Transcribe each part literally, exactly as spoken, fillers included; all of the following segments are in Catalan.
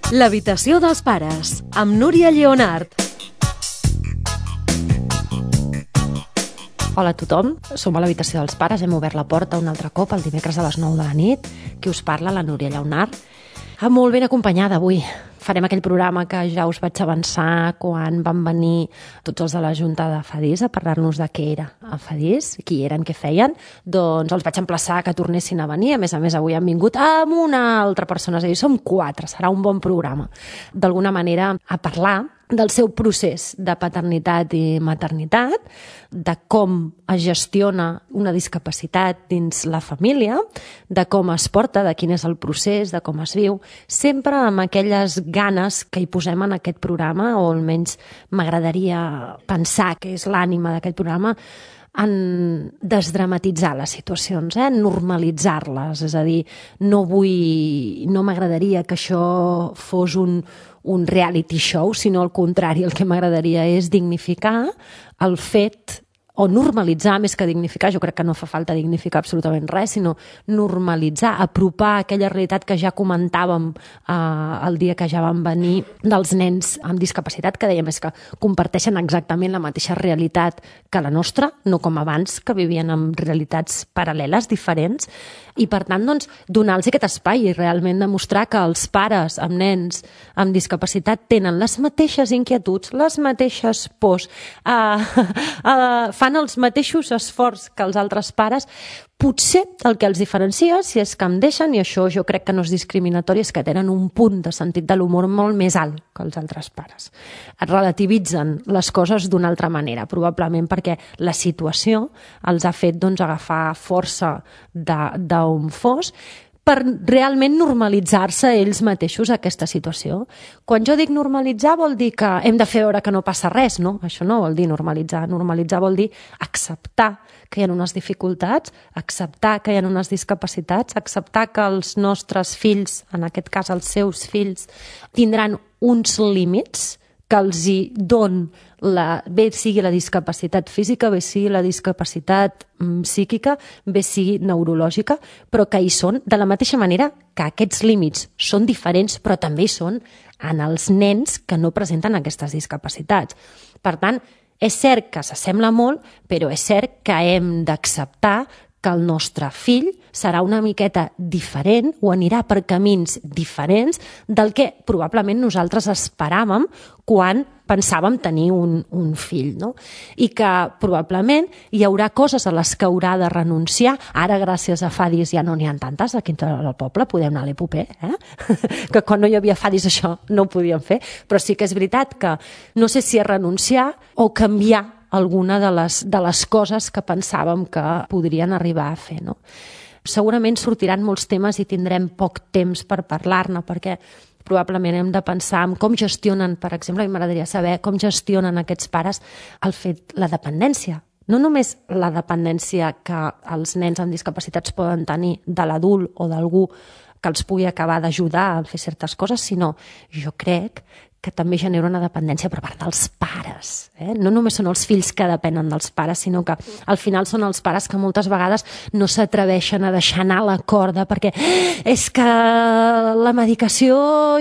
L'habitació dels pares, amb Núria Lleonart. Hola a tothom, som a l'habitació dels pares, hem obert la porta un altre cop el dimecres a les nou de la nit. Qui us parla, la Núria Lleonart. Ah, molt ben acompanyada avui. Farem aquell programa que ja us vaig avançar quan van venir tots els de la Junta de Fadís a parlar-nos de què era a Fadís, qui eren, què feien. Doncs els vaig emplaçar que tornessin a venir. A més a més, avui han vingut amb una altra persona, és a dir, som quatre, serà un bon programa. D'alguna manera, a parlar del seu procés de paternitat i maternitat, de com es gestiona una discapacitat dins la família, de com es porta, de quin és el procés, de com es viu, sempre amb aquelles ganes que hi posem en aquest programa, o almenys m'agradaria pensar que és l'ànima d'aquest programa, en desdramatitzar les situacions, eh? Normalitzar-les, és a dir, no vull, no m'agradaria que això fos un, un reality show, sinó al contrari, el que m'agradaria és dignificar el fet, o normalitzar més que dignificar, jo crec que no fa falta dignificar absolutament res, sinó normalitzar, apropar aquella realitat que ja comentàvem eh, el dia que ja van venir dels nens amb discapacitat, que dèiem és que comparteixen exactament la mateixa realitat que la nostra, no com abans, que vivien en realitats paral·leles, diferents, i per tant, doncs, donar-los aquest espai i realment demostrar que els pares amb nens amb discapacitat tenen les mateixes inquietuds, les mateixes pors, eh, eh, fan els mateixos esforços que els altres pares. Potser el que els diferencia, si és que em deixen, i això jo crec que no és discriminatori, és que tenen un punt de sentit de l'humor molt més alt que els altres pares. Et relativitzen les coses d'una altra manera, probablement perquè la situació els ha fet doncs, agafar força d'on fos, per realment normalitzar-se ells mateixos aquesta situació. Quan jo dic normalitzar vol dir que hem de fer veure que no passa res, no? Això no vol dir normalitzar. Normalitzar vol dir acceptar que hi ha unes dificultats, acceptar que hi ha unes discapacitats, acceptar que els nostres fills, en aquest cas els seus fills, tindran uns límits que els hi don la, bé sigui la discapacitat física, bé sigui la discapacitat mm, psíquica, bé sigui neurològica, però que hi són de la mateixa manera que aquests límits són diferents, però també hi són en els nens que no presenten aquestes discapacitats. Per tant, és cert que s'assembla molt, però és cert que hem d'acceptar que el nostre fill serà una miqueta diferent o anirà per camins diferents del que probablement nosaltres esperàvem quan pensàvem tenir un, un fill, no? I que probablement hi haurà coses a les que haurà de renunciar. Ara, gràcies a Fadís, ja no n'hi ha tantes aquí al poble, podem anar a l'Epopé, eh? Que quan no hi havia Fadís això no ho podíem fer, però sí que és veritat que no sé si és renunciar o canviar alguna de les, de les coses que pensàvem que podrien arribar a fer, no? Segurament sortiran molts temes i tindrem poc temps per parlar-ne, perquè probablement hem de pensar en com gestionen, per exemple, i m'agradaria saber com gestionen aquests pares el fet, la dependència. No només la dependència que els nens amb discapacitats poden tenir de l'adult o d'algú que els pugui acabar d'ajudar a fer certes coses, sinó jo crec que també genera una dependència per part dels pares. Eh? No només són els fills que depenen dels pares, sinó que al final són els pares que moltes vegades no s'atreveixen a deixar anar la corda perquè és que la medicació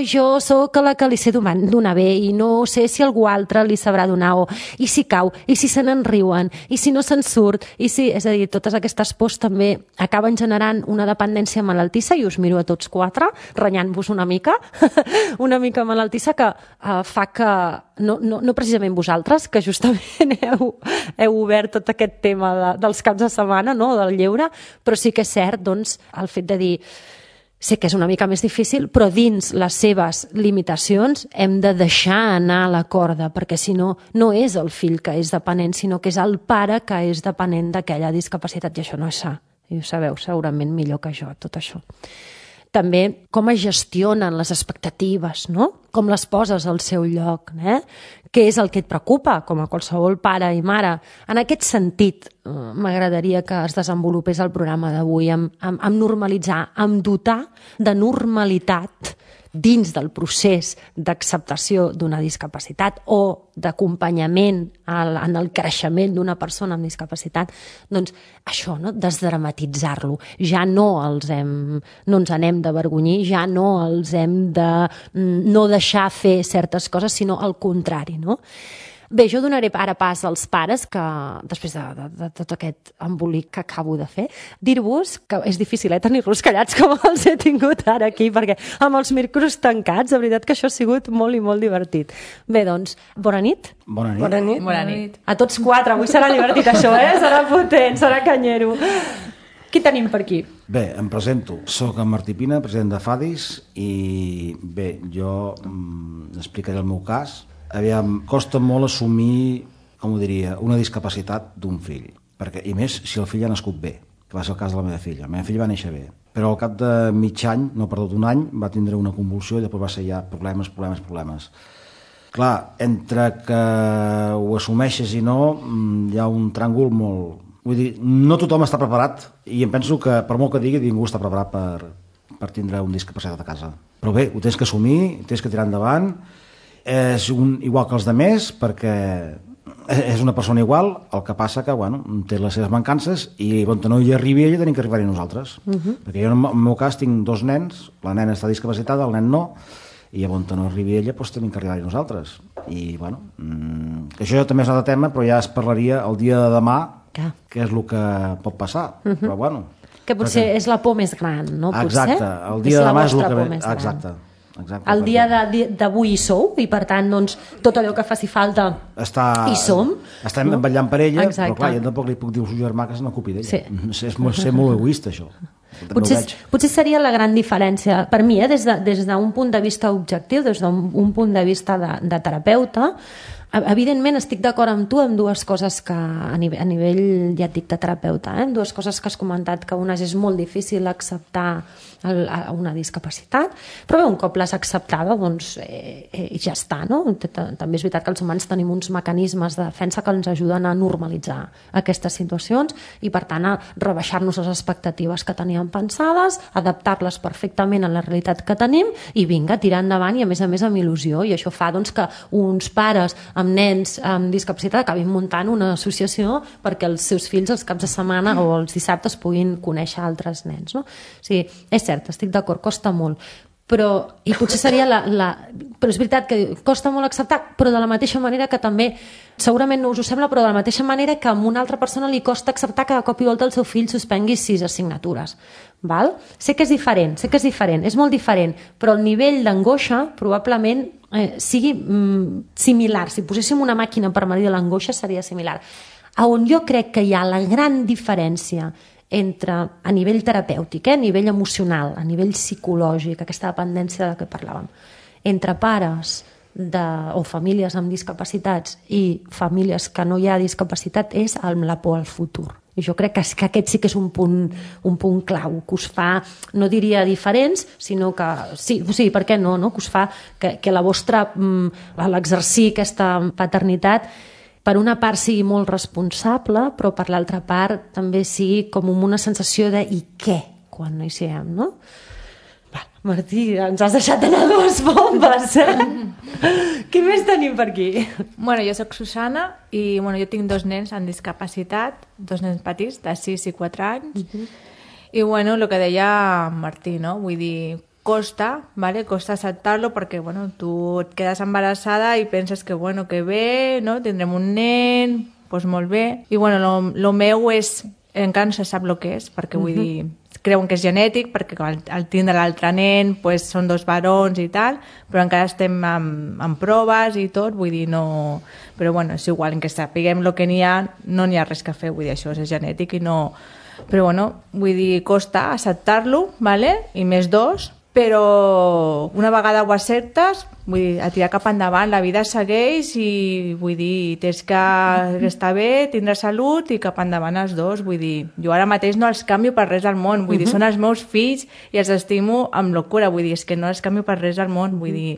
jo sóc la que li sé donar bé i no sé si algú altre li sabrà donar, o i si cau, i si se n'en riuen, i si no se'n surt, i si... És a dir, totes aquestes pors també acaben generant una dependència malaltissa, i us miro a tots quatre, renyant-vos una mica, una mica malaltissa que Uh, fa que, no, no, no precisament vosaltres, que justament heu, heu obert tot aquest tema de, dels caps de setmana, no?, del lleure, però sí que és cert, doncs, el fet de dir sé que és una mica més difícil, però dins les seves limitacions hem de deixar anar la corda, perquè si no, no és el fill que és dependent, sinó que és el pare que és dependent d'aquella discapacitat, i això no és sa, i ho sabeu segurament millor que jo, tot això. També com es gestionen les expectatives, no? Com les poses al seu lloc, eh? Què és el que et preocupa, com a qualsevol pare i mare? En aquest sentit, m'agradaria que es desenvolupés el programa d'avui, amb, amb, amb normalitzar, amb dotar de normalitat dins del procés d'acceptació d'una discapacitat o d'acompanyament en el creixement d'una persona amb discapacitat, doncs això, no? Desdramatitzar-lo. Ja no els hem, no ens n'hem d'avergonyir, ja no els hem de no deixar fer certes coses, sinó al contrari, no? Bé, jo donaré ara pas als pares que, després de, de, de tot aquest embolic que acabo de fer, dir-vos que és difícil eh, tenir-los callats com els he tingut ara aquí, perquè amb els micros tancats, de veritat que això ha sigut molt i molt divertit. Bé, doncs, bona nit. Bona nit. Bona nit. Bona nit. A tots quatre, avui serà divertit això, eh? Serà potent, serà canyero. Qui tenim per aquí? Bé, em presento. Soc en Martí Pina, president de FADIS, i bé, jo mm, explicaré el meu cas. Aviam, costa molt assumir, com ho diria, una discapacitat d'un fill, perquè, i més si el fill ha nascut bé, que va ser el cas de la meva filla. La meva filla va néixer bé, però al cap de mig any, no perdut un any, va tindre una convulsió i després va ser ja problemes, problemes, problemes. Clar, entre que ho assumeixes i no, hi ha un tràngol molt... Vull dir, no tothom està preparat, i em penso que, per molt que digui, ningú està preparat per, per tindre un discapacitat a casa. Però bé, ho tens que assumir, tens que tirar endavant. És un, igual que els demés, perquè és una persona igual, el que passa que bueno, té les seves mancances i on no hi arribi ella tenim que arribar-hi nosaltres. Uh -huh. Perquè jo en el meu cas tinc dos nens, la nena està discapacitada, el nen no, i on no arribi ella doncs tenim que arribar-hi nosaltres. I bueno, mmm, això també és un altre tema, però ja es parlaria el dia de demà, ja. Què és el que pot passar. Uh -huh. Però bueno... Que potser perquè... és la por més gran, no? Exacte, potser? El dia de demà és el que... Exacte. Exacte, el dia d'avui hi sou i per tant doncs, tot allò que faci falta està, hi som. Estem no? vetllant per ella. Exacte. Però clar, jo tampoc li puc dir al seu germà que se n'ocupi d'ella. Sí. És molt, ser molt egoista això. Potser, potser seria la gran diferència per mi, eh, des d'un de, des d'un punt de vista objectiu, des d'un punt de vista de, de terapeuta. Evidentment estic d'acord amb tu en dues coses que a nivell, a nivell ja et dic de terapeuta, eh? dues coses que has comentat, que una és molt difícil acceptar el, una discapacitat, però bé, un cop l'has acceptada doncs eh, eh, ja està, no? També és veritat que els humans tenim uns mecanismes de defensa que ens ajuden a normalitzar aquestes situacions i per tant a rebaixar-nos les expectatives que teníem pensades, adaptar-les perfectament a la realitat que tenim i vinga, tirar endavant i a més a més amb il·lusió, i això fa doncs que uns pares amb nens amb discapacitat acabin muntant una associació perquè els seus fills els caps de setmana o els dissabtes puguin conèixer altres nens, no? O sigui, és cert, estic d'acord, costa molt, però, i potser seria la, la... Però és veritat que costa molt acceptar, però de la mateixa manera que també, segurament no us ho sembla, però de la mateixa manera que a una altra persona li costa acceptar que de cop i volta el seu fill suspengui sis assignatures. Val? Sé que és diferent, sé que és diferent, és molt diferent, però el nivell d'angoixa probablement eh, sigui mm, similar. Si poséssim una màquina per medir l'angoixa seria similar. A on jo crec que hi ha la gran diferència entre, a nivell terapèutic, eh, a nivell emocional, a nivell psicològic, aquesta dependència de què parlàvem, entre pares de, o famílies amb discapacitats i famílies que no hi ha discapacitat és amb la por al futur. I jo crec que, que aquest sí que és un punt, un punt clau, que us fa, no diria diferents, sinó que, sí, sí, per què no, no? Que us fa que, que la vostra, l'exercir aquesta paternitat, per una part sigui molt responsable, però per l'altra part també sigui com una sensació de i què, quan no hi siguem, no? Va, Martí, ens has deixat anar dues bombes, eh? Què més tenim per aquí? Bueno, jo soc Susana i bueno, jo tinc dos nens amb discapacitat, dos nens petits, de sis i quatre anys. Uh-huh. I bueno, el que deia Martí, no? Vull dir, costa, ¿vale? Costa acceptar-lo perquè, bueno, tu et quedes embarassada i penses que, bueno, que bé, no? Tindrem un nen, doncs pues molt bé. I bueno, lo, lo meu és, encara no se sap el que és, perquè vull uh-huh. dir, creuen que és genètic, perquè al, al tindre l'altre nen pues, són dos barons i tal, però encara estem amb, amb proves i tot, vull dir, no... Però bueno, és igual, en que sapiguem el que n'hi ha, no n'hi ha res que fer, vull dir, això és genètic i no... Però bueno, vull dir, costa acceptar-lo, ¿vale? I més dos, però una vegada ho acceptes, vull dir, a tirar cap endavant, la vida segueix i vull dir, tens que estar bé, tindre salut i cap endavant els dos, vull dir, jo ara mateix no els canvio per res al món, vull uh-huh. dir, són els meus fills i els estimo amb locura, vull dir, és que no els canvio per res al món, vull dir,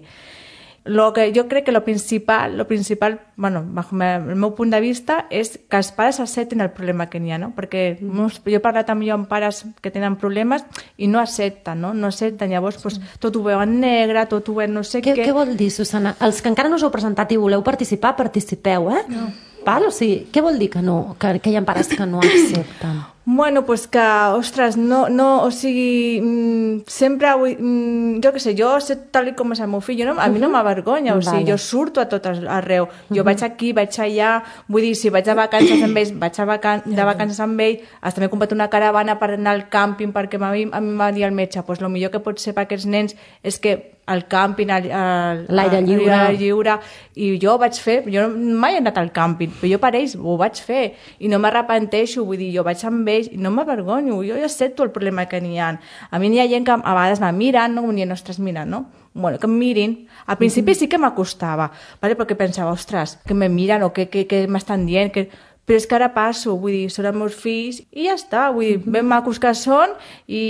Lo que jo crec que lo principal, lo principal, bueno, bajo el meu punt de vista, és que els pares accepten el problema que n'hi ha, no? Perquè mm. jo he parlat amb jo amb pares que tenen problemes i no accepten, no? No accepten, llavors pues, tot ho veuen negre, tot ho veuen no sé què. Què, què vol dir, Susana? Els que encara no us heu presentat i voleu participar, participeu, eh? No. Val? O sigui, què vol dir que no? Que, que hi ha pares que no accepten? Bueno, pues que, ostres, no, no, o sigui, mmm, sempre, mmm, jo què sé, jo sé tal com és el meu fill, no, a mi no m'avergonya, o sigui, vale. Jo surto a tot arreu, jo uh-huh. vaig aquí, vaig allà, vull dir, si vaig de vacances amb ells, vaig a vacan de vacances amb ells, hasta m'he comprat una caravana per anar al càmping, perquè a mi, a mi m'ha dit el metge, pues el millor que pot ser per aquests nens és que al càmping, l'aire lliure. lliure, i jo ho vaig fer, jo mai he anat al càmping, però jo per ells ho vaig fer, i no m'arrepenteixo, vull dir, jo vaig amb ells, i no m'avergonyo, jo ja accepto el problema que n'hi ha. A mi n'hi ha gent que a vegades me miren, no? Ni nostres miren, no? Bueno, que em mirin. Al principi sí que m'acostava, ¿vale? Perquè pensava, ostres, que me miren o què que, que, que m'estan dient, que... però és que ara passo, vull dir, són els meus fills i ja està, vull dir, ben macos que són i,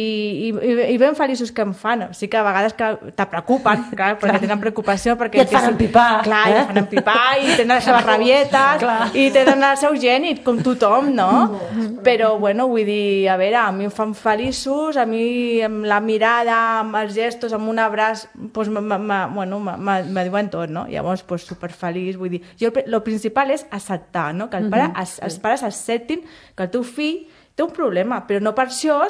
i, i ben feliços que em fan. Sí que a vegades que te preocupen, clar, perquè clar. Tenen preocupació. Perquè I et fan empipar. Clar, eh? i et fan empipar i tenen les seves rabietes i tenen el seu gènit, com tothom, no? Però, bueno, vull dir, a veure, a mi em fan feliços, a mi amb la mirada, amb els gestos, amb un abraç, doncs, m -m -m bueno, me diuen tot, no? Llavors, doncs, superfeliç, vull dir, jo el principal és acceptar, no? Que el pare mm-hmm. els pares acceptin que el teu fill té un problema, però no per això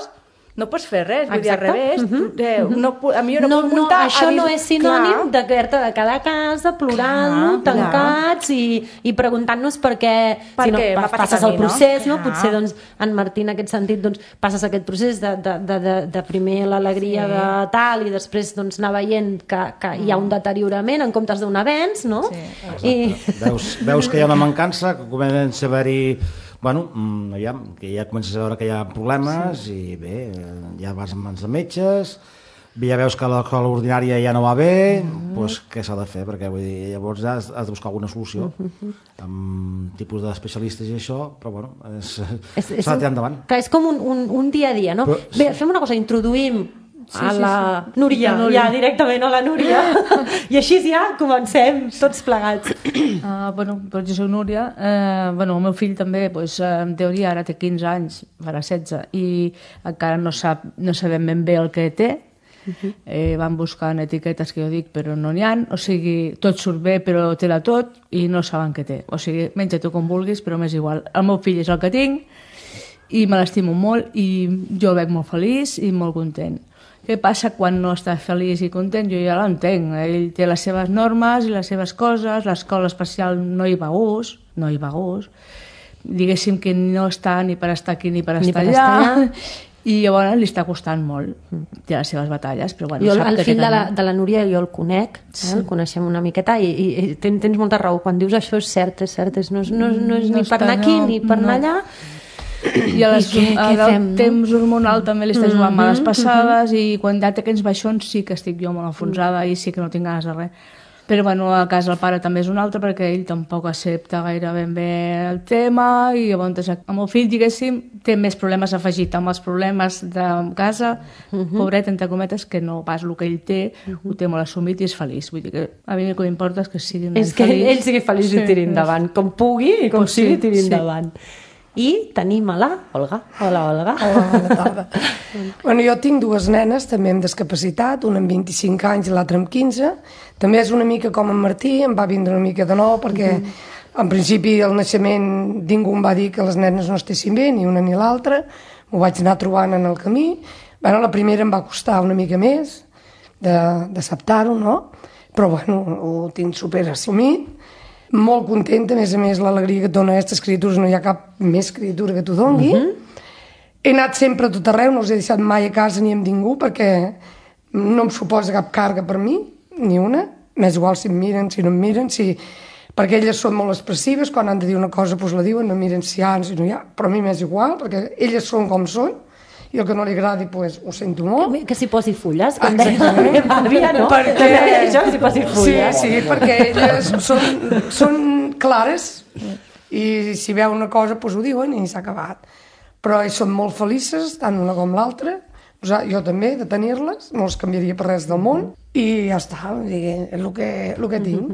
no pots fer res, vull dir, al revés. Uh-huh. eh, no, a mi jo no, no puc muntar... No, això no és sinònim de haver-te de quedar a casa plorant, tancats clar. i, i preguntant-nos per què, per si no, què passes el procés, no? no? Potser doncs, en Martí, en aquest sentit, doncs, passes aquest procés de, de, de, de, de primer l'alegria sí. de tal i després doncs, anar veient que, que mm. hi ha un deteriorament en comptes d'un avenç, no? Sí. I... Veus, veus que hi ha una mancança, que comença a haver-hi bueno, ja, que ja comences a veure que hi ha problemes sí. i bé, ja vas en mans de metges, ja veus que l'escola ordinària ja no va bé, mm-hmm. doncs què s'ha de fer? Perquè vull dir, llavors has, has de buscar alguna solució mm-hmm. amb tipus d'especialistes i això, però bueno, s'ha de tirar endavant. Clar, és com un, un, un dia a dia, no? Però, bé, fem una cosa, introduïm Sí, a la sí, sí. Núria, la Núria, ja directament a la Núria i així ja comencem tots plegats. Uh, bueno, doncs jo soc Núria, uh, bueno, el meu fill també pues, uh, en teoria ara té quinze anys, farà setze i encara no sap, no sabem ben bé el que té. Uh-huh. eh, van buscant etiquetes que jo dic però no n'hi ha, o sigui, tot surt bé però té-la tot i no saben què té, o sigui, menja tu com vulguis però m'és igual, el meu fill és el que tinc i me l'estimo molt i jo el veig molt feliç i molt content. Què passa quan no està feliç i content? Jo ja l'entenc. Ell té les seves normes i les seves coses, l'escola especial no hi va a gust, no hi va a gust. Diguéssim que no està ni per estar aquí ni per estar, ni per allà, estar allà, i llavors li està costant molt. Té les seves batalles, però bueno, jo, sap el que fill té de la, de la Núria jo el conec, eh? Sí. El coneixem una miqueta i, i, i tens, tens molta raó. Quan dius això és cert, és cert, és, no, és, no, no és no ni per anar aquí no, ni per anar no. allà. I a les, I què, a què fem, el temps hormonal també li està jugant mm-hmm, males passades mm-hmm. i quan ja té aquests baixons sí que estic jo molt enfonsada mm. i sí que no tinc ganes de res. Però bueno, a casa el pare també és un altre perquè ell tampoc accepta gaire ben bé el tema i llavors el meu fill, diguéssim, té més problemes afegit amb els problemes de casa, mm-hmm. pobret, entre cometes, que no pas el que ell té, mm-hmm. ho té molt assumit i és feliç. Vull dir que a mi el que m'importa és que sigui és que feliç. Ell sigui feliç sí, i tiri endavant, com pugui i com pues sigui sí, tiri sí. endavant. I tenim a la Olga. Hola, Olga. Hola, bona tarda. Bueno, jo tinc dues nenes, també amb discapacitat, una amb vint-i-cinc anys i l'altra amb quinze. També és una mica com en Martí, em va vindre una mica de nou, perquè mm-hmm. en principi al naixement ningú em va dir que les nenes no estessin bé, ni una ni l'altra. M'ho vaig anar trobant en el camí. Bueno, la primera em va costar una mica més d'acceptar-ho, no? Però bueno, ho tinc superassumit. Molt contenta, a més a més, l'alegria que et dona aquestes criatures, no hi ha cap més criatura que t'ho doni. Uh-huh. He anat sempre a tot arreu, no els he deixat mai a casa ni amb ningú, perquè no em suposa cap càrrega per mi, ni una. M'és igual si em miren, si no em miren, si... perquè elles són molt expressives, quan han de dir una cosa doncs la diuen, no miren si hi ha, si no hi ha, però a mi m'és igual, perquè elles són com són, i el que no li agradi, pues, ho sento molt. Que, que s'hi posi fulles, com deia la meva àvia, no? Perquè... això, que s'hi posi fulles. Sí, sí, perquè elles són, són clares i si veu una cosa, pues, ho diuen i s'ha acabat. Però ells són molt felices, tant una com l'altra, jo també, de tenir-les, no les canviaria per res del món, i ja està, és el que, el que tinc.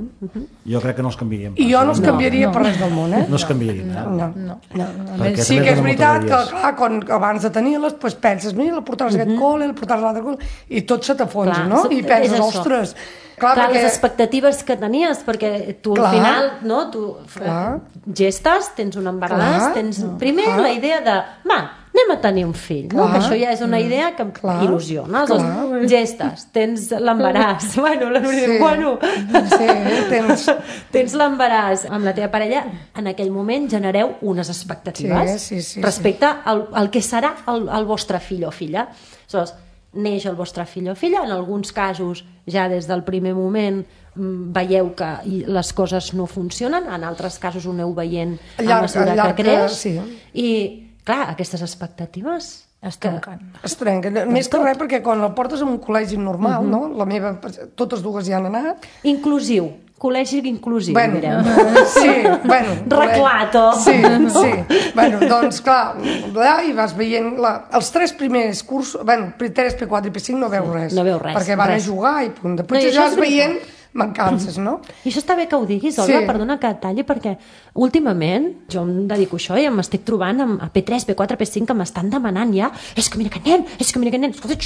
Jo crec que no els canviaríem. I jo no els canviaria per res del món, eh? No els canviarien, eh? No, no. no. Sí que és veritat que, clar, quan, abans de tenir-les, doncs penses, mira, la portaràs a aquest col, la portaràs a l'altre col, i tot se t'afonsa, no? I penses, ostres... Clar, clar perquè... les expectatives que tenies, perquè tu clar, al final, no, tu clar. gestes, tens un embaràs, clar, tens no, primer clar. la idea de, va, anem a tenir un fill, no? Que això ja és una idea que clar. il·lusiona. Clar. Doncs, gestes, tens l'embaràs, bueno, la sí. bueno, sí, tens, tens l'embaràs amb la teva parella, en aquell moment genereu unes expectatives sí, sí, sí, respecte sí. al, al que serà el, el vostre fill o filla. Aleshores, neix el vostre fill o filla, en alguns casos ja des del primer moment veieu que les coses no funcionen, en altres casos ho aneu veient a mesura que creix sí. i clar, aquestes expectatives es trenquen. Es trenquen, més que res perquè quan el portes a un col·legi normal, uh-huh. no? La meva, totes dues ja han anat. Inclusiu. Col·legi inclusiu, bueno, direm. Sí, bueno. Reclato. Sí, sí. Bueno, doncs, clar, allà hi vas veient... La, els tres primers cursos... Bueno, P tres, P quatre i P cinc no veus res. No veus res. Perquè van res. a jugar i punt. Després no, ja vas veient mancances, no? I això està bé que ho diguis, Olga, sí. perdona que et talli, perquè últimament jo em dedico a això i m'estic trobant amb a P tres, P quatre, P cinc que m'estan demanant ja és que mira aquest nen, és que mira aquest nen, escolta,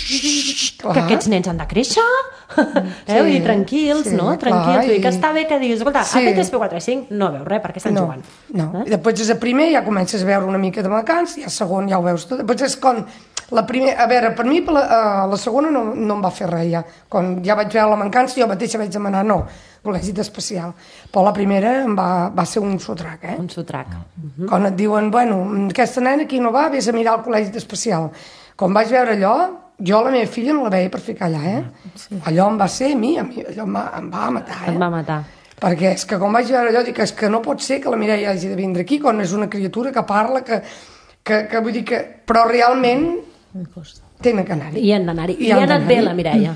que aquests nens han de créixer, sí, eh? I tranquils, sí, no? Tranquils, clar, i... que està bé que diguis, escolta, sí. a P tres, P quatre, P cinc no veus res, perquè estan no, jugant. No, eh? I després és a primer ja comences a veure una mica de macans, i a segon ja ho veus tot, després és com... La primer, a veure, per mi la, uh, la segona no, no em va fer res ja. Quan ja vaig veure la mancança jo mateixa vaig demanar no, col·legi especial. Però la primera em va, va ser un sotrac, eh? Un sotrac. Uh-huh. Quan et diuen, bueno, aquesta nena aquí no va, vés a mirar el col·legi especial. Quan vaig veure allò, jo la meva filla no la veia per ficar allà, eh? Sí. Allò em va ser a mi, a mi allò em va, em va matar, eh? Em va matar. Perquè és que quan vaig veure allò dic, és que no pot ser que la Mireia hagi de vindre aquí quan és una criatura que parla, que, que, que vull dir que... Però realment... tenen que anar-hi. I han d'anar-hi. I, I ha anat bé la Mireia.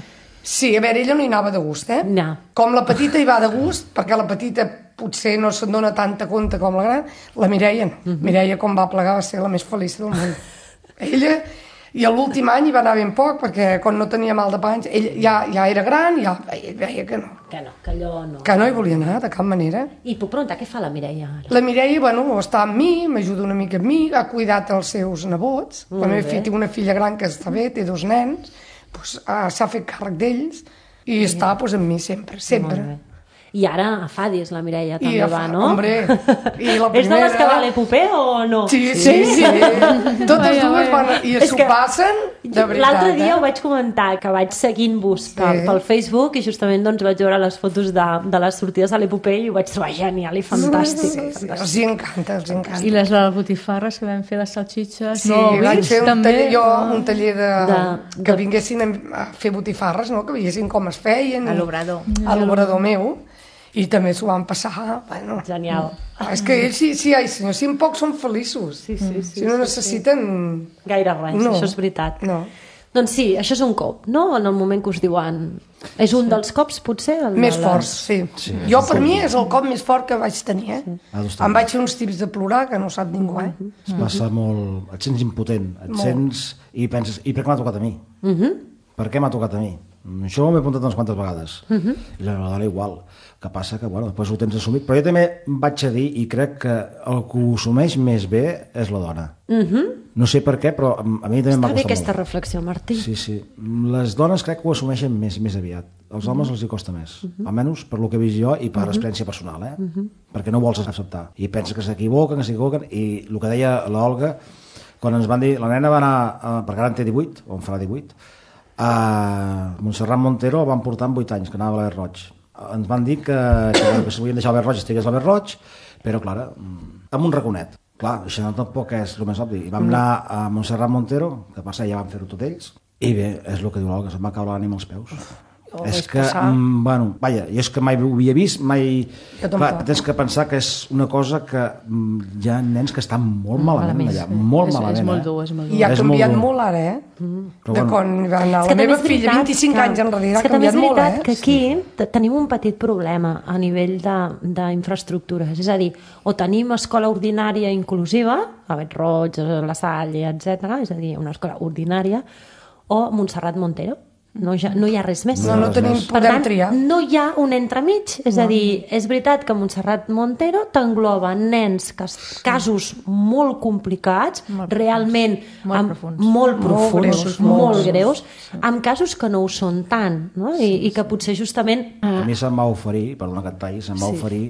Sí, a veure, ella no hi anava de gust, eh? No. Com la petita hi va de gust, perquè la petita potser no se'n dona tanta compte com la gran, la Mireia no. Uh-huh. Mireia, com va plegar, va ser la més feliç del món. Ella, i l'últim any hi va anar ben poc, perquè quan no tenia mal de panys, ell ja, ja era gran, ja ell veia que no. Que no, que allò no. Que no hi volia anar, de cap manera. I puc preguntar, què fa la Mireia ara? La Mireia, bueno, està amb mi, m'ajuda una mica amb mi, ha cuidat els seus nebots. Molt la meva filla té una filla gran que està bé, té dos nens, doncs, uh, s'ha fet càrrec d'ells i sí. està doncs, amb mi sempre, sempre. I ara a Fadis la Mireia també I va, no? Hombre, i la primera... És de les que va a l'Epopé o no? Sí, sí, sí. sí. Totes dues van... I s'ho passen, de veritat. L'altre dia eh? ho vaig comentar, que vaig seguint-vos sí. pel, pel Facebook i justament doncs, vaig veure les fotos de, de les sortides a l'Epopé i ho vaig trobar genial i fantàstic. Sí, sí, sí. Els hi encanta, els hi encanta. I les de les botifarres que vam fer les salxitxes. Sí, no, vaig fer un també? taller, jo, un taller de, de, que de... vinguessin a fer botifarres, no? Que veiessin com es feien. A l'obrador. A l'obrador meu. I també s'ho van passar, bueno... Genial. És que ells, sí, sí, ai senyor, si en poc són feliços. Sí, sí, sí. Si no sí, necessiten... Sí. Gaire res, no. Això és veritat. No. Doncs sí, això és un cop, no? En el moment que us diuen... És un dels cops, potser? El més les... forts, sí. sí. Jo, per mi, és el cop més fort que vaig tenir, eh? Sí. Em vaig fer uns tips de plorar que no sap ningú, eh? Es passa molt... Et sents impotent, et molt. Sents i penses, i per què m'ha tocat a mi? Uh -huh. Per què m'ha tocat a mi? Això m'he apuntat unes quantes vegades. Uh -huh. I la dona igual. Que passa que, bueno, després ho tens assumit. Però jo també vaig a dir, i crec que el que ho assumeix més bé és la dona. Uh -huh. No sé per què, però a mi també m'ha costat molt. Està bé aquesta reflexió, Martí. Sí, sí. Les dones crec que ho assumeixen més, més aviat. Els homes uh -huh. els hi costa més. Uh -huh. Almenys per lo que he vist jo i per uh -huh. experiència personal, eh? Uh -huh. Perquè no vols acceptar. I penses que s'equivoquen, que s'equivoquen. I el que deia l'Olga, quan ens van dir... La nena va anar, uh, perquè ara en té divuit, o en farà divuit, a Montserrat Montero el van portar amb vuit anys, que anava a l'Aver Roig. Ens van dir que, que, que si volien deixar l'Aver Roig estigués a l'Aver Roig, però clar, amb un raconet. Clar, això tampoc és el més obvi. I vam anar a Montserrat Montero, que passa ja van fer-ho tot ells, i bé, és el que diu l'Olga, se'm va caure l'ànima als peus. Oh, és que, mm, bueno, vaja, jo és que mai ho havia vist, mai... Clar, tens que pensar que és una cosa que mm, hi ha nens que estan molt malament, allà, molt és, malament. És molt eh? dur, és molt dur. I ha és canviat molt, molt ara, eh? Mm. De bueno. quan va anar la meva filla, vint-i-cinc anys enrere, ha canviat molt, eh? És que aquí tenim un petit problema a nivell d'infraestructures, és a dir, o tenim escola ordinària inclusiva, a Bet Roig, la Salle, etcètera, és a dir, una escola ordinària, o Montserrat Montero. No, ja, no hi ha res més. No, no tenim, Per podem tant, triar. no hi ha un entremig. És a dir, és veritat que Montserrat Montero t'engloba nens que, casos molt complicats, Molt realment Molt amb- profuns. molt Molt profuns, greus, molt, molt greus, amb casos que no ho són tant, no? I, i que potser justament... A mi se'm va oferir, perdona que et talli, se'm va oferir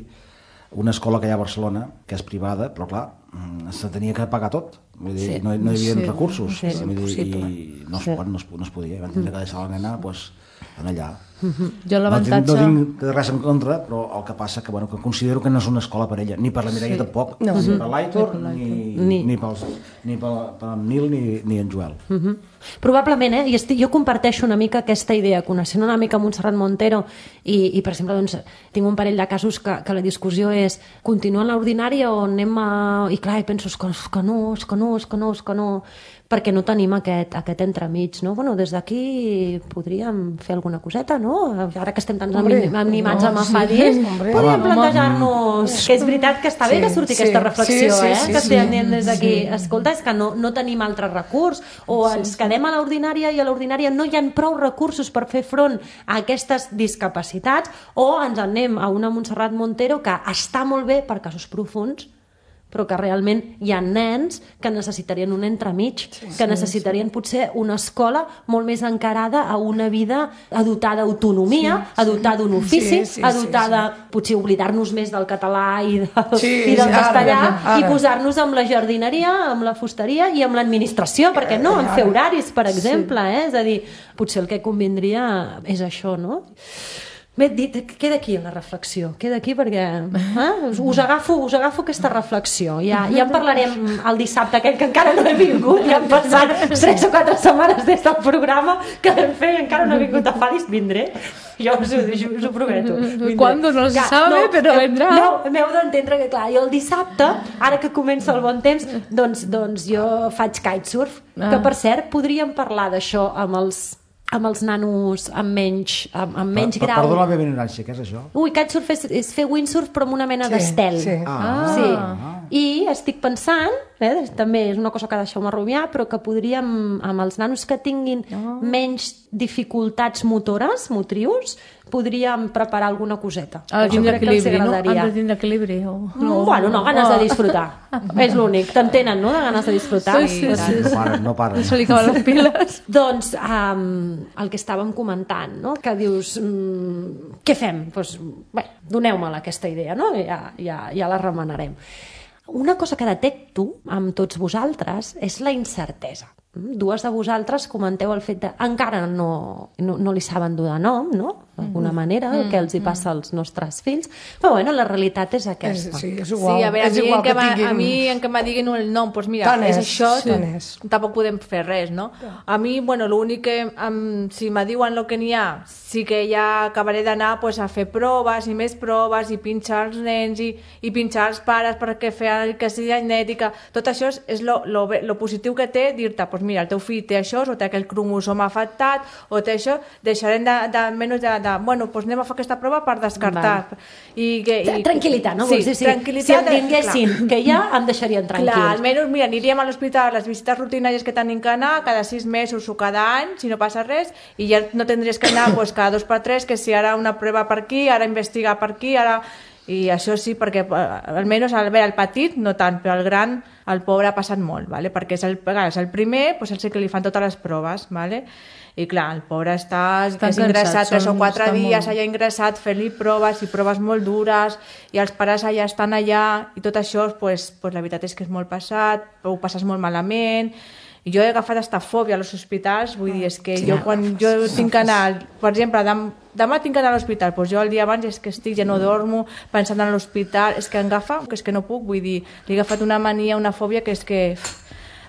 una escola que hi ha a Barcelona, que és privada, però clar, mm, se tenia que pagar tot. Vull dir, Sí. no, no hi havia Sí. recursos. Sí, és Vull dir, impossible. I no es, Sí. pot, no, es, no es podia. Van tindre que deixar la nena pues, en allà. Jo No tinc, l'avantatge... no tinc res en contra, però el que passa que, bueno, que considero que no és una escola per ella, ni per la Mireia tampoc, No. ni per l'Aitor, ni, Ni. ni, pels, ni pel, per en Nil ni, ni en Joel. Mhm. Probablement, eh? I estic, jo comparteixo una mica aquesta idea, coneixent una mica Montserrat Montero i, i per exemple, doncs, tinc un parell de casos que, que la discussió és continua en l'ordinària o anem a... I clar, i penso, és que, és que no, és que no, és que no, és que no, perquè no tenim aquest, aquest entremig, no? Bueno, des d'aquí podríem fer alguna coseta, no? Ara que estem tan Hombre, animats no, amb sí, afadis, hombre. podríem Home, plantejar-nos que és veritat que està bé Sí, que surti sí, aquesta reflexió, sí, sí, eh? sí, que sí. estem dient des d'aquí, escolta, és que no, no tenim altre recurs, o ens quedem a l'ordinària i a l'ordinària no hi ha prou recursos per fer front a aquestes discapacitats, o ens anem a una Montserrat Montero que està molt bé per casos profuns, però que realment hi ha nens que necessitarien un entremig, que necessitarien potser una escola molt més encarada a una vida a dotar d'autonomia, a dotar d'un ofici, Sí, sí, a sí, dotar de potser oblidar-nos més del català i, del, Sí, i del sí, ara, castellà ara. i posar-nos amb la jardineria, amb la fusteria i amb l'administració, perquè no, en fer horaris, per exemple, eh? És a dir, potser el que convindria és això, no? Bé, dit, queda aquí la reflexió, queda aquí perquè eh? us, agafo, us agafo aquesta reflexió. Ja, ja en parlarem el dissabte, aquell que encara no he vingut, ja han passat tres o quatre setmanes des del programa que vam fer i encara no he vingut a Fadis, vindré. Jo us ho, us ho prometo. Vindré. Cuándo no se sabe, però vendrà. No, m'heu d'entendre que, clar, jo el dissabte, ara que comença el bon temps, doncs, doncs jo faig kitesurf, Ah. que per cert podríem parlar d'això amb els amb els nanos amb menys, amb, amb menys Per- per- grau. Perdona la meva ignorància, què és això? Ui, kitesurf és, és fer windsurf però amb una mena Sí, d'estel. sí. Ah. Sí. I estic pensant, eh, també és una cosa que deixeu-me rumiar, però que podríem, amb els nanos que tinguin menys dificultats motores, motrius, podríem preparar alguna coseta. Ha de Això tindre crec que els equilibri, no? agradaria. Han de tindre equilibri. O... No. Bueno, no, ganes de disfrutar. És l'únic. T'entenen, no?, de ganes de disfrutar. Sí, sí, sí. No paren, no paren. Se li acaben les piles. Doncs um, el que estàvem comentant, no? Que dius, um, què fem? Pues, bé, doneu-me aquesta idea, no? Ja, ja, ja la remenarem. Una cosa que detecto amb tots vosaltres és la incertesa. Dues de vosaltres comenteu el fet de encara no, no, no li saben dur de nom, no? D'alguna manera, el que els hi passa als nostres fills. Però bueno, la realitat és És, aquesta. sí, és igual. Sí, a veure, a és mi, igual en que, ma, tinguin- a mi en que me diguin el nom, doncs mira, Tant és, és, això, sí. Tant és. tampoc podem fer res, no? A mi, bueno, l'únic que, um, si me diuen el que n'hi ha, sí que ja acabaré d'anar pues, a fer proves i més proves i pinxar els nens i, i pinxar els pares perquè feien el que sigui genètica. Tot això és, és lo, lo, bé- lo positiu que té dir-te, pues mira, el teu fill té això, o té aquell cromosoma afectat, o té això, deixarem de, de, menys de, de, bueno, pues anem a fer aquesta prova per descartar. I, que, i, Tranquil·litat, no? Sí, Vols dir, si, tranquil·litat, si em tinguessin clar. que ja em deixarien tranquils. Clar, almenys, mira, aniríem a l'hospital, les visites rutinàries que tenim que anar, cada sis mesos o cada any, si no passa res, i ja no tindries que anar pues, cada dos per tres, que si ara una prova per aquí, ara investigar per aquí, ara... I això sí, perquè eh, almenys al veure el petit, no tant, però el gran, el pobre ha passat molt, ¿vale? Perquè és el, és el primer, doncs és el que li fan totes les proves, ¿vale? I clar, el pobre està, Estan que és ingressat cansats, tres o són- quatre estan dies molt- allà ingressat fent-li proves i proves molt dures i els pares allà estan allà i tot això, pues, pues, la veritat és que és molt passat, ho passes molt malament. I jo he agafat esta fòbia als hospitals, vull dir, és que jo quan jo tinc que anar, per exemple, dem, demà tinc que anar a l'hospital, doncs jo el dia abans és que estic, ja no dormo, pensant en l'hospital, és que em agafa, que és que no puc, vull dir, li he agafat una mania, una fòbia que és que...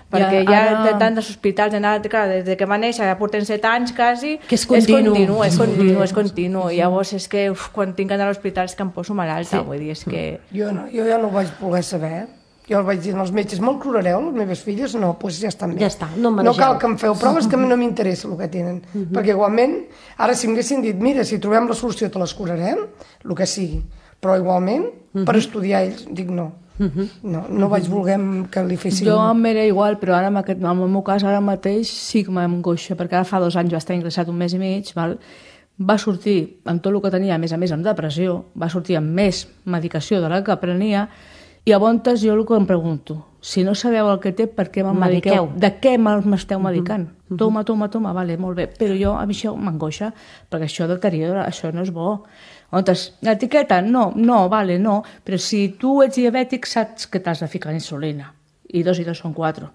Perquè ja, ara- de tant dels hospitals, d'anar, clar, des de que va néixer, ja portem set anys quasi, Que és continu. és continu, és continu, és continu. I llavors és que uf, quan tinc que anar a l'hospital és que em poso malalta, vull dir, és que... Jo, no, jo ja no ho vaig voler saber. Jo els vaig dir als metges, me'l curareu, les meves filles? No, doncs pues ja estan bé. Ja està, no em no manegeu. cal que em feu proves, que a mi no m'interessa el que tenen. Perquè igualment, ara si m'haguessin dit, mira, si trobem la solució te les curarem, el que sigui. Però igualment, per estudiar ells, dic no. No, no vaig voler que li fessin... Jo em era igual, però ara en, aquest, en el meu cas ara mateix sí que m'angoixa, perquè ara fa dos anys va estar ingressat un mes i mig, val? Va sortir amb tot el que tenia, a més a més amb depressió, va sortir amb més medicació de la que prenia, i a voltes jo el que em pregunto, si no sabeu el que té, per què me'n mediqueu? De què m'esteu medicant? Uh -huh. Toma, toma, toma, vale, molt bé. Però jo, a mi això m'angoixa, perquè això deteriora, això no és bo. Llavors, l'etiqueta? No, no, vale, no. Però si tu ets diabètic, saps que t'has de ficar insulina. I dos i dos són quatre.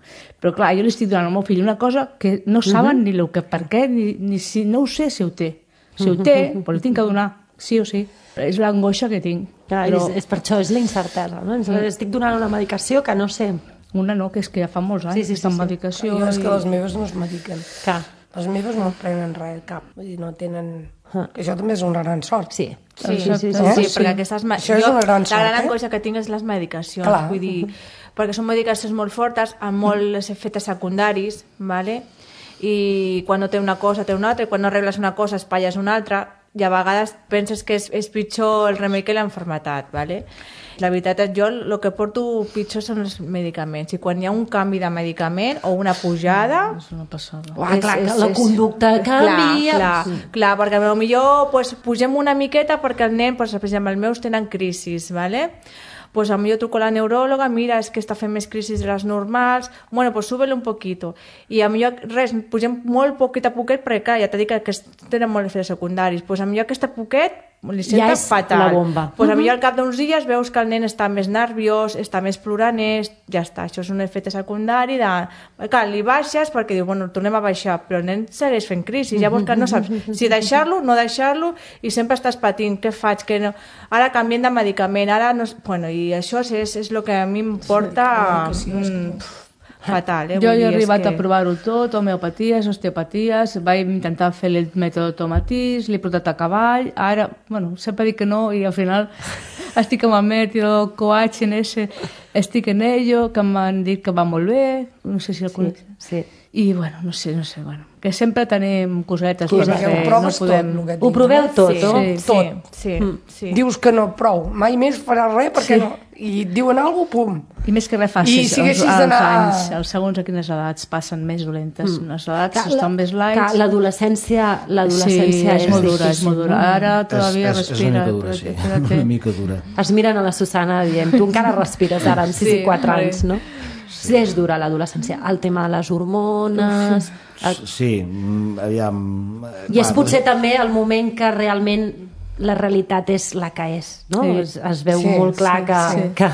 Però clar, jo li estic donant al meu fill una cosa que no saben uh -huh. ni el que per què, ni, ni si no ho sé si ho té. Si ho té, però li tinc que donar, sí o sí. És l'angoixa que tinc. Clar, però... és, és per això, és la incertesa, no? Sí. Estic donant una medicació que no sé. Una no, que és que ja fa molts anys, sí, sí, sí, amb sí. medicació. Jo és i... que les meves no es mediquen. Clar. Les meves no prenen res, cap. Vull dir, no tenen... Ah. Que això també és una gran sort. Sí. Sí, sí, sí, sí, sí, sí, perquè aquestes... Això és una gran sort, La gran eh? angoixa que tinc és les medicacions. Clar. Vull dir, perquè són medicacions molt fortes, amb molts efectes secundaris, ¿vale? I quan no té una cosa, té una altra, i quan no arregles una cosa, espatlles una altra, i a vegades penses que és, és pitjor el remei que l'enfermetat, ¿vale? La veritat és jo el que porto pitjor són els medicaments, i quan hi ha un canvi de medicament o una pujada... És una passada. Uah, clar, és, és, la conducta és, canvia... Clar, clar, sí. clar, perquè potser pues, pugem una miqueta perquè el nen, pues, per exemple, els meus tenen crisis, ¿vale? Pues a mí yo truco a la neuróloga, mira, es que està fent més crisis de les normals, bueno, pues súbele un poquito. I a mi res, pugem molt poquet a poquet, perquè clar, ja t'he dit que, que tenen molts efectes secundaris, pues a mi aquesta poquet li senta ja és fatal. La bomba. Pues a mi al cap d'uns dies veus que el nen està més nerviós, està més ploranès, ja està, això és un efecte secundari de... Clar, li baixes perquè diu, bueno, tornem a baixar, però el nen segueix fent crisi, llavors que no saps si deixar-lo, no deixar-lo, i sempre estàs patint, què faig, què no... Ara canviem de medicament, ara no... Bueno, i això és, és el que a mi em porta... Sí, sí, mm, fatal, eh? Jo he arribat que... a provar-ho tot, homeopaties, osteopaties, vaig intentar fer el mètode Tomatís, l'he portat a cavall, ara, bueno, sempre dic que no, i al final estic amb el mètode Coach en ese, estic en ello, que m'han dit que va molt bé, no sé si el conec. Sí, sí. I, bueno, no sé, no sé, bueno, que sempre tenim cosetes per fer, ho no podem... tot, ho proveu tot, sí, no? Sí, tot. Sí, mm. sí. Dius que no, prou, mai més faràs res perquè sí. no... I et diuen alguna cosa, pum. I més que res fa, I els, si els, els anys, els segons a quines edats passen més dolentes. Mm. Les edats estan més lights. L'adolescència l'adolescència sí, és, és molt dura, és molt dura. Ara todavía és, és, respira. És una mica dura, sí. Una mica dura. Es miren a la Susana dient, tu encara respires ara amb sis i quatre anys, no? Sí, és dura l'adolescència. El tema de les hormones... El... Sí, aviam... I és potser també el moment que realment la realitat és la que és, no? Sí. Es, es veu sí, molt clar sí, que... Sí. que...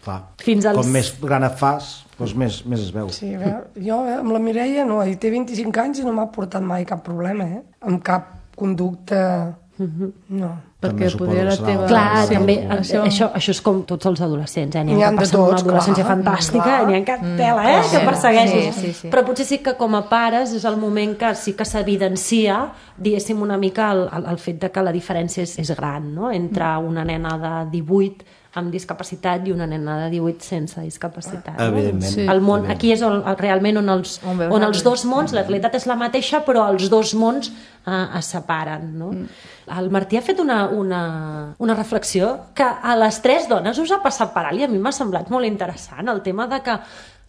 Clar. Fins als... Com més gran et fas, doncs més, més es veu. Sí, jo amb la Mireia no, ell té vint-i-cinc anys i no m'ha portat mai cap problema, eh? Amb cap conducta... Uh-huh. No. Perquè poder la teva... Clar, sí, també, això... això, això és com tots els adolescents, eh? N'hi ha, ha que passen tots, una adolescència clar, fantàstica, clar. n'hi ha que tela, eh? Mm, que persegueixes. Sí, sí, sí. Però potser sí que com a pares és el moment que sí que s'evidencia, diguéssim, una mica el, el, el fet de que la diferència és, és gran, no? Entre una nena de divuit amb discapacitat i una nena de divuit sense discapacitat. No? Evidentment. Sí. El món, aquí és on, realment on els, on, on els dos mons, la realitat és la mateixa, però els dos mons eh, es separen. No? Mm. El Martí ha fet una, una, una reflexió que a les tres dones us ha passat per alt i a mi m'ha semblat molt interessant, el tema de que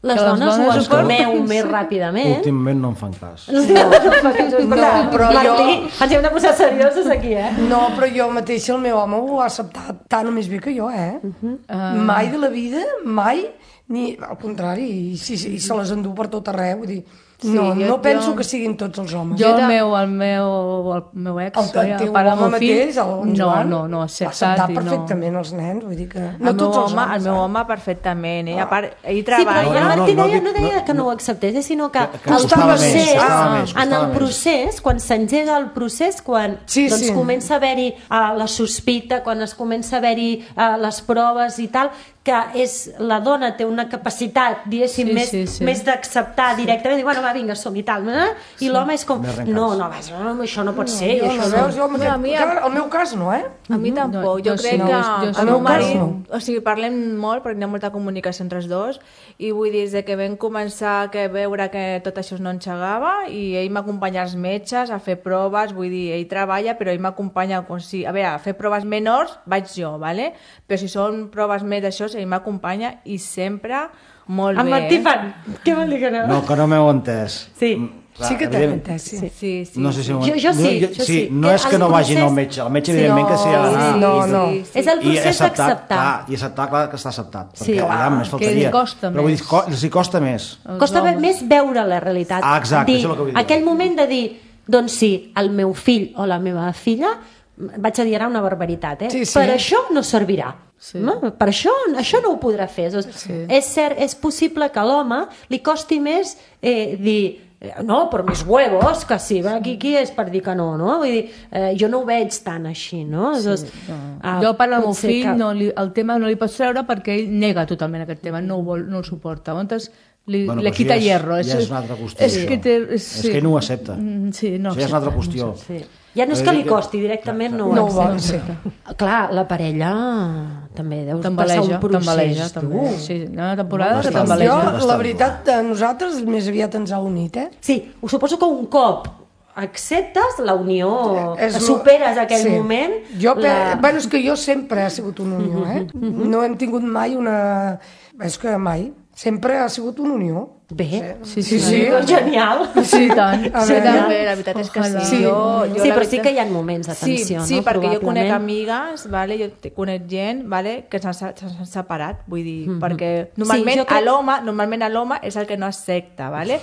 les que dones, les dones ho assumeu sí. més ràpidament. Últimament no em fan cas. No, no però Martí, jo... ens hem de posar serioses aquí, eh? No, però jo mateixa, el meu home ho ha acceptat tant o més bé que jo, eh? Uh-huh. Uh... Mai de la vida, mai, ni al contrari, i, i, i se les endú per tot arreu, vull dir... Sí, no, jo, no penso jo... que siguin tots els homes. Jo, el meu, el meu, el meu ex, el, el teu home mateix, el Joan, no, no, no, acceptat, acceptat perfectament no. Els nens, vull dir que... No el tots meu els home, homes, el meu home perfectament, eh? Ah. A part, ell treballa... Sí, però el Martí deia, no deia que no ho acceptés, sinó que, que, que el procés, més, més, en el procés, quan s'engega el procés, quan sí, doncs, sí. comença a haver-hi uh, la sospita, quan es comença a haver-hi uh, les proves i tal, que és, la dona té una capacitat, diguéssim, sí, més, sí, sí. més d'acceptar directament, i bueno, va, vinga, som i tal, eh? I sí. l'home és com, no, no, vas, no, això no pot no, ser. Jo, això no, no. veus, jo, no, a mi, el meu cas no, eh? A mi tampoc, no, jo, jo crec sí, que no, el meu marit, no. o sigui, parlem molt perquè hi ha molta comunicació entre els dos i vull dir, des de que vam començar a veure que tot això no engegava i ell m'acompanya als metges a fer proves, vull dir, ell treballa però ell m'acompanya, o sigui, a veure, a fer proves menors vaig jo, ¿vale? Però si són proves més d'això dos, ell m'acompanya i sempre molt En bé. Martí eh? fan... Què vol dir que no? No, que no m'heu entès. Sí. Clar, Sí que t'he evident- entès, sí. Sí, sí. No sé si... Jo- jo sí, no, jo sí. No Que és que el no vagin procés- al metge. El metge, evidentment, que sí ha d'anar. sí, no, no. Sí, sí. És el I procés acceptar, d'acceptar. clar, i acceptar, clar, que està acceptat. Sí, Perquè, clar, aviam, més faltaria. que costa Però vull més. dir, co els hi costa més. Costa més veure la realitat. Ah, exacte, dir, això és el que vull dir. Aquell moment de dir, doncs sí, el meu fill o la meva filla, vaig a dir ara una barbaritat, eh? Sí, sí. Per això no servirà. Sí. No? Per això, això no ho podrà fer. Doncs, Sí. És cert, és possible que a l'home li costi més eh, dir no, per mis huevos, que sí, qui, qui és per dir que no, no? Vull dir, eh, jo no ho veig tan així, no? Sí, doncs, No. ah, Jo per al meu potser fill que- no li, el tema no li pots treure perquè ell nega totalment aquest tema, no, ho vol, no el suporta. Llavors li, Bueno, li però quita això ja és- hierro. ja és una altra qüestió, És això. que, té, és, És que ell no ho accepta. Mm, Sí, no Això ja és una altra accepta, qüestió. Sí. Ja no és que li costi, directament no, No ho ho vol, accepta. sí. Clar, la parella també deus passar T'embaleja, un procés. t'embaleja, tu. també. Sí, hi ha una temporada que Bastant. Jo, t'embaleja. Bastant. la veritat, a nosaltres més aviat ens ha unit, eh? Sí, ho suposo que un cop acceptes la unió, És lo- superes aquell sí. moment... Jo, pe... la... bueno, és que jo sempre ha sigut una unió, eh? No hem tingut mai una... És que mai. Sempre ha sigut una unió. Bé, Sí, Sí, sí, sí. genial. Sí, tant. A Sí, veure. també, la veritat és que sí. Ojalà. Jo, jo Sí, la però sí veritat- que hi ha moments de Sí, tensió, sí, no? perquè jo conec Probablement. amigues, vale? Jo te- conec gent vale? que s'han se- s'han separat, vull dir, Mhm. perquè normalment jo crec- a l'home normalment a l'home és el que no accepta, vale?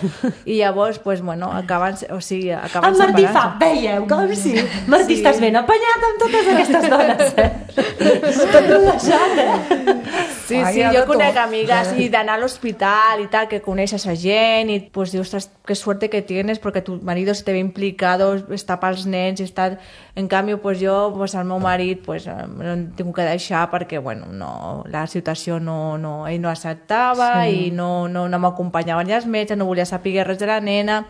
I llavors, pues, bueno, acaben, o sigui, acaben El Martí fa, separant-se. veieu, com sí. Martí, Sí. estàs ben apanyat amb totes aquestes dones, eh? Tot relaxat, eh? Sí, Ai, sí, hi ha jo de conec tot. amigues i d'anar a l'hospital i tal, que coneixes a gent i pues dius, ostras, qué suerte que tienes porque tu marido se te ve implicado, està pels nens i està... En canvi, pues jo, pues el meu marit, pues eh, l'he tingut que deixar perquè, bueno, no, la situació no, no, ell no acceptava sí. i no, no, no m'acompanyaven ni els metges, no volia saber res de la nena,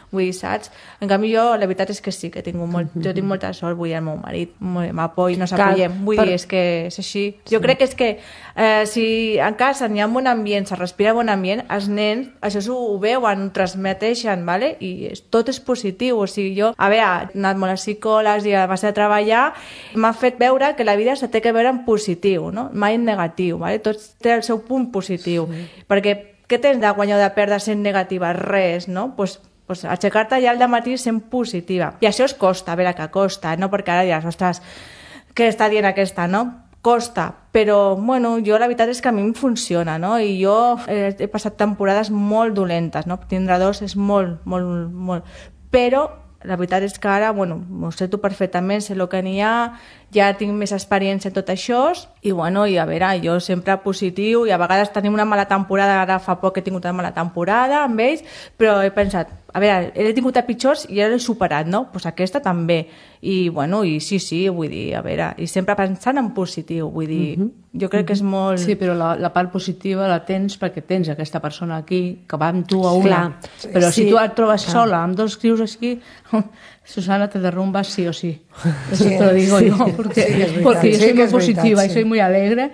vull dir, saps? En canvi jo, la veritat és que sí, que tinc molt, jo tinc molta sort, vull dir, el meu marit m'apoya, no s'apoyem, vull per- dir, és que és així. Jo crec que és que eh, si en casa n'hi ha un bon ambient, se respira bon ambient, els nens això s'ho ho veuen, ho transmeteixen, ¿vale? I és, tot és positiu. O sigui, jo, a veure, he anat molt a psicòlegs i a base de treballar, m'ha fet veure que la vida se té que veure en positiu, no? Mai en negatiu, ¿vale? Tot té el seu punt positiu. Sí. Perquè què tens de guanyar o de perdre sent negativa? Res, no? Pues, pues aixecar-te ja al dematí sent positiva. I això es costa, a veure que costa, no? Perquè ara diràs, ostres, què està dient aquesta, no? Costa, però bueno, jo la veritat és que a mi em funciona, no? I jo he, he passat temporades molt dolentes, no? Tindre dos és molt, molt, molt... Però la veritat és que ara, bueno, ho sé tu perfectament, sé el que n'hi ha, ja tinc més experiència en tot això, i bueno, i a veure, jo sempre positiu, i a vegades tenim una mala temporada, ara fa poc he tingut una mala temporada amb ells, però he pensat, a veure, he tingut a pitjors i ja l'he superat, no? Doncs pues aquesta també. I bueno, i sí, sí, vull dir, a veure, i sempre pensant en positiu, vull dir, uh -huh. jo crec que és molt... Sí, però la, la part positiva la tens perquè tens aquesta persona aquí que va amb tu a una. Clar. Però Sí. si tu et trobes Clar. sola amb dos crios aquí, Susana, te derrumbas sí o sí. Eso Sí. te lo digo yo, porque, Sí que es verdad. porque yo Sí soy que muy es verdad, positiva sí. y soy muy alegre.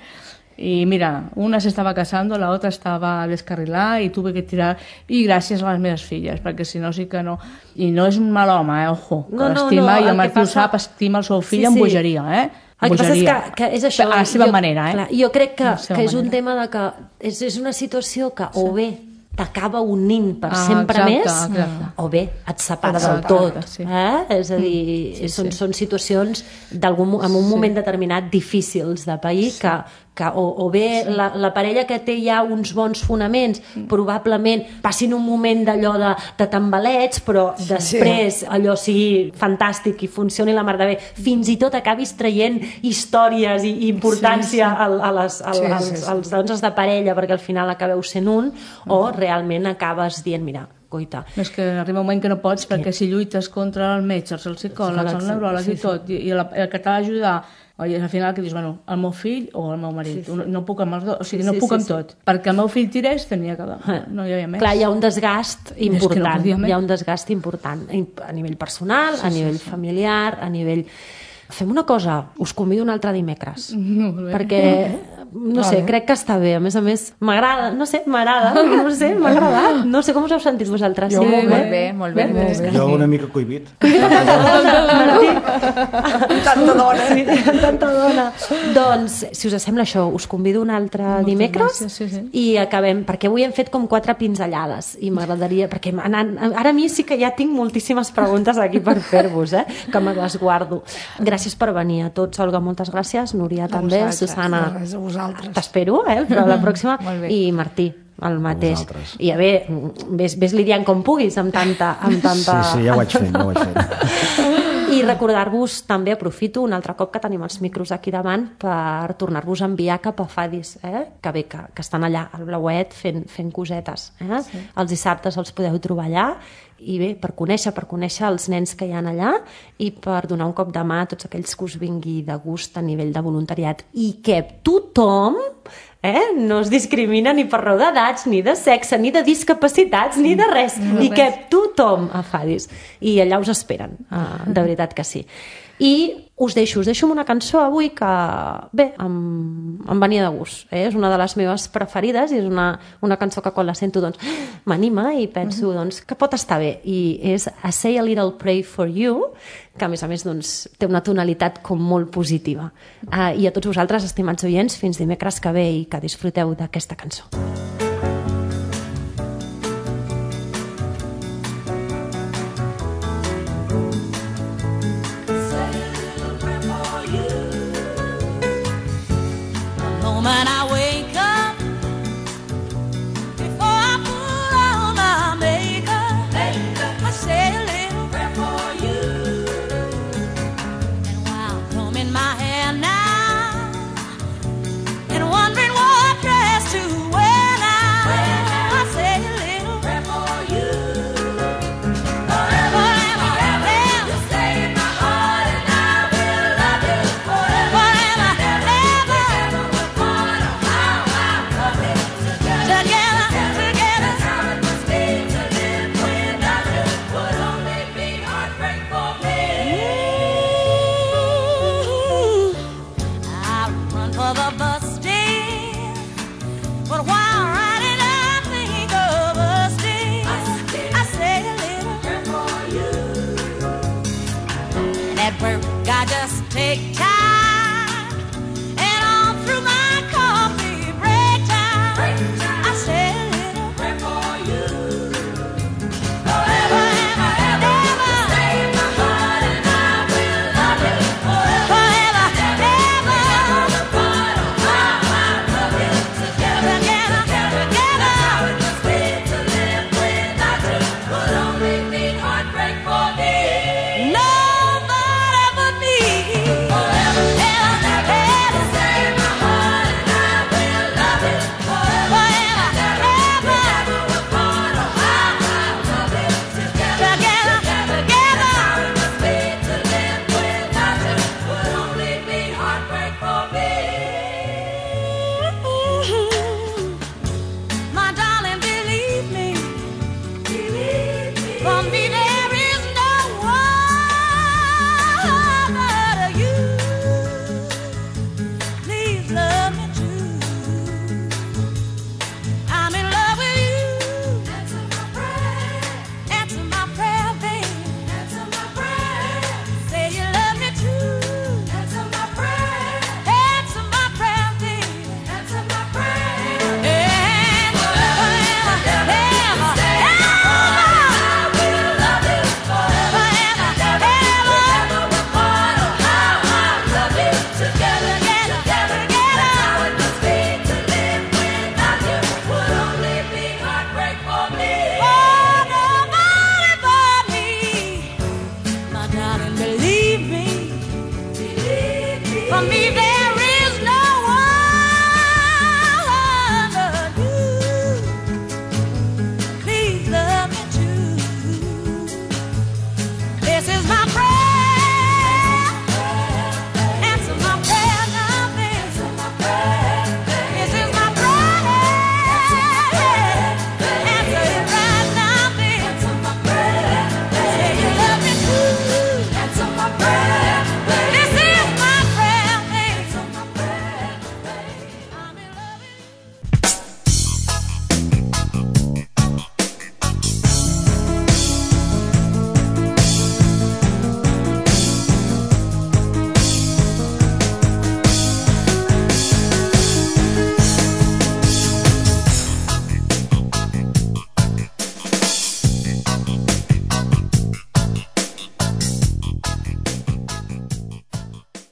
Y mira, una se estaba casando, la otra estaba descarrilada y tuve que tirar, y gràcies a les meves filles, perquè si no sí que no... I no és un mal home, eh? Ojo, que No, no, l'estima, no, i el el que Martí ho passa- sap, estima el seu fill Sí, amb sí. bogeria, eh? El que passa és Bogeria. que, que és això... A la seva jo, manera, eh? Clar, jo crec que, A la seva que és un manera. tema de que és, és una situació que o bé t'acaba unint per Ah, sempre exacte, més, exacte. o bé et separa del Exacte, tot. sí. Eh? És a dir, Sí, són, sí. són situacions d'algun, en un moment determinat difícils de pair que, que o, o bé la, la parella que té ja uns bons fonaments probablement passin un moment d'allò de, de tambaleig, però després allò sigui fantàstic i funcioni la mar de bé, fins i tot acabis traient històries i, i importància sí, sí. A, a les, a, Sí, sí, als, sí. als danses de parella perquè al final acabeu sent un, o realment acabes dient, mira, coita, No, és que arriba un moment que no pots, perquè si lluites contra el metge, els psicòlegs, el neuròleg i tot, i, i la, el que t'ha d'ajudar, i al final que dius, bueno, el meu fill o el meu marit, sí, sí. no puc amb els dos, o sigui, no Sí, puc sí, amb sí. tot, perquè el meu fill tirés, tenia que... No hi havia més. clar, hi ha un desgast important, no podia més. hi ha un desgast important a nivell personal, sí, a nivell sí, sí. familiar, a nivell... Fem una cosa, us convido un altre dimecres, Molt bé. perquè no sé, crec que està bé. A més a més, m'agrada, no sé, m'agrada, no sé, m'ha agradat. No sé com us heu sentit vosaltres. Jo molt bé, molt bé. Jo una mica cohibit. Tanta dona. Sí, tanta dona. Doncs, si us sembla això, us convido un altre dimecres i acabem, perquè avui hem fet com quatre pinzellades i m'agradaria, perquè ara a mi sí que ja tinc moltíssimes preguntes aquí per fer-vos, eh? Que me les guardo. Gràcies per venir a tots, Olga, moltes gràcies. Núria també, Susana, t'espero, eh? Però la pròxima. I Martí, el mateix. I a veure, ves, ves lidiant com puguis amb tanta... Amb tanta... Sí, sí, ja ho vaig fent, ja ho vaig fent. I recordar-vos, també aprofito un altre cop que tenim els micros aquí davant per tornar-vos a enviar cap a Fadis, eh? Que bé, que, que estan allà al blauet fent, fent cosetes. Eh? Sí. Els dissabtes els podeu trobar allà i bé, per conèixer, per conèixer els nens que hi ha allà i per donar un cop de mà a tots aquells que us vingui de gust a nivell de voluntariat i que tothom eh, no es discrimina ni per raó d'edats, ni de sexe, ni de discapacitats, ni de res, no i res. Que tothom a Fadis. I allà us esperen, uh, de veritat que sí. I us deixo, us deixo amb una cançó avui que, bé, em, em venia de gust. Eh? És una de les meves preferides i és una, una cançó que quan la sento doncs, m'anima i penso doncs, que pot estar bé. I és I Say a Little Pray for You, que a més a més doncs, té una tonalitat com molt positiva. Uh, I a tots vosaltres, estimats oients, fins dimecres que ve i que disfruteu d'aquesta cançó. When I wake up, before I put on my makeup, I say a little prayer for you. And while combing my hair now, and wondering what dress to wear now, I say a little prayer for you. Forever and forever, you stay in my heart, and I will love you forever. I just take time, and all through my coffee break time, break time. I say a little prayer for you. Forever and forever, you stay in my heart, and I will love you forever. Forever and ever, the part of how I love you together, together, together. How it must be to live without you would only mean heartbreak for me. No. Believe me, believe me. For me, there